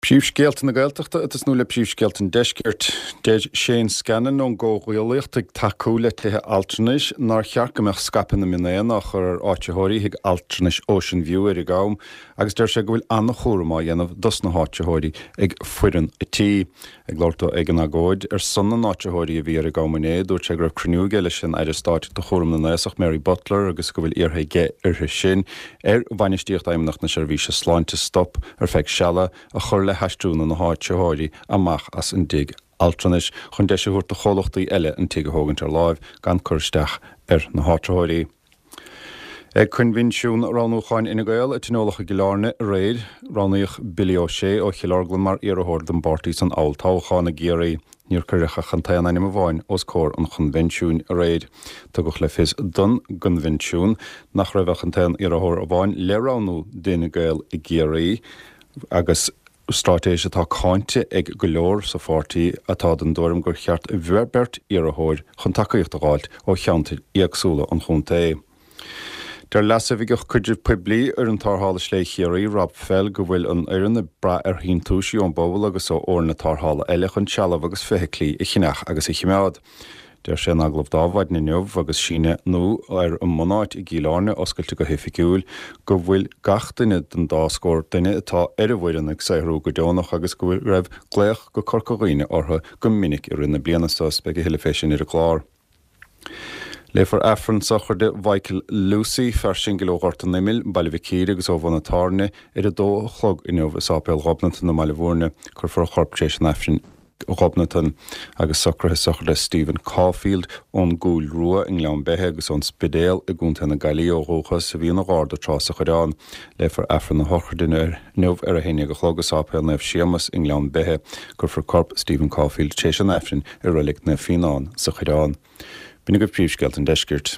Príomhscéalta na Gaeltachta ag tosnú le príomhscéalta an Deiscirt. Deir Shane Scanlon ón gComhghuaillíocht ag tacú le tithe altranais nár cheart go mbeadh scaipeadh na mionéan á chur ar áitritheoirí thigh altranais Ocean View ar an gCam agus deir sé go bhfuil an-chúram á dhéanamh dos na háitritheoirí ag foireann an tí. Ag labhairt dó ag an agóid ar son na n-áitritheoirí a bhí ar an gCam inné, dúirt sé go raibh cruinniú aige leis an Aire Stáit do chúram na n-aosach Mary Butler agus go bhfuil iarrtha aige uirthi sin ar bhainistíocht Fheidhmeannacht na Seirbhíse Sláinte stop, ar feadh seala, a chur le haistriú na n-áitritheoirí amach as an dtigh altranais chun deis a thabhairt do chomhlachtaí eile an tigh a thógaint ar láimh gan cur isteach ar na háitritheoirí. Ag coinbhinsiún roghnúcháin Fhine Gael a tionóladh i gCill Airne aréir, roghnaíodh Billy O'Shea ó Chill Orglan mar iarrthóir don bpáirtí san olltoghchán i gCiarraí. Níor cuireadh ach an t-aon ainm amháin os comhair an choinbhinsiúin aréir. Tugadh le fios don gcoinbhinsiún nach raibh ach an t-aon iarrthóir amháin le roghnú d'Fhine Gael i gCiarraí agus straitéis atá cáinte ag go leor sa pháirtí atá den dtuairim gur cheart beirt iarrthóir chun tacaíocht a dh'fháilt ó cheantair éagsúla an chontae. Deir Leasoifigeach Caidrimh Poiblí Fhoireann Tarrthála Slé Chiarraí, Rob Fell, go bhfuil an fhoireann ag brath ar shíntiúisí ón bpobal agus ó fhoirne tarrthála eile chun trealamh agus feithiclí a cheannach agus a chimeád. Deir sé in agallamh d'Adhmhaidin inniu agus síneadh nua ar an mbunáit i gCill Airne oscailte go hoifigiúil, go bhfuil gach duine den dá scór duine atá ar an bhfoireann ag saothrú go deonach agus go raibh glaoch go Corca Dhuibhne orthu go minic i rith na bliana so. Beidh a thuilleadh fé sin ar an gclár. Léifear Aifreann sochraide Mhichael Lucey, fear singil ó Ghort an Imill, Baile Mhic Íre agus ó Bhun an Tábhairne, ar a dó a chlog inniu i Sáipéal Ghobnatan i mBaile Bhúirne. Cuirfear a chorp tar éis an Aifrinn. Ghobnatan, agus socruithe sochraide Stephen Caulfield ón gCúil Rua i nGleann Beithe agus ón Spidéal i gContae na Gaillimhe ó dhúchas, a bhí ina gharda tráth sa Choireán. Léifear Aifreann a shochraide inniu ar a haon dhéag a chlog i Sáipéal Naomh Séamas i nGleann Beithe. Cuirfear corp Stephen Caulfield tar éis an Aifrinn i Reilig Naomh Fíonán sa Choireán. B'in agaibh príomhscéalta an deiscirt.